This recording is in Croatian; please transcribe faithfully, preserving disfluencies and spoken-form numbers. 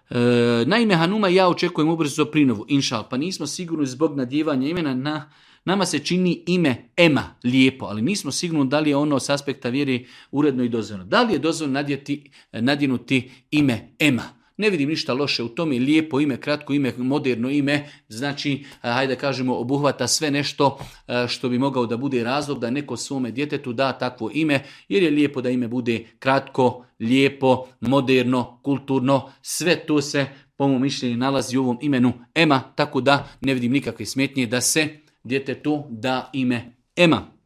E, naime, Hanuma ja očekujem ubrzo prinovu, inšal, pa nismo sigurni zbog nadjevanja imena na... Nama se čini ime Ema lijepo, ali nismo sigurni da li je ono s aspekta vjeri uredno i dozvoljeno. Da li je dozvoljeno nadjeti, nadjenuti ime Ema? Ne vidim ništa loše u tome, lijepo ime, kratko ime, moderno ime, znači, hajde da kažemo, obuhvata sve nešto što bi mogao da bude razlog da neko svome djetetu da takvo ime, jer je lijepo da ime bude kratko, lijepo, moderno, kulturno, sve to se po mom mišljenju nalazi u ovom imenu Ema, tako da ne vidim nikakve smetnje da se djetetu da ime Ema.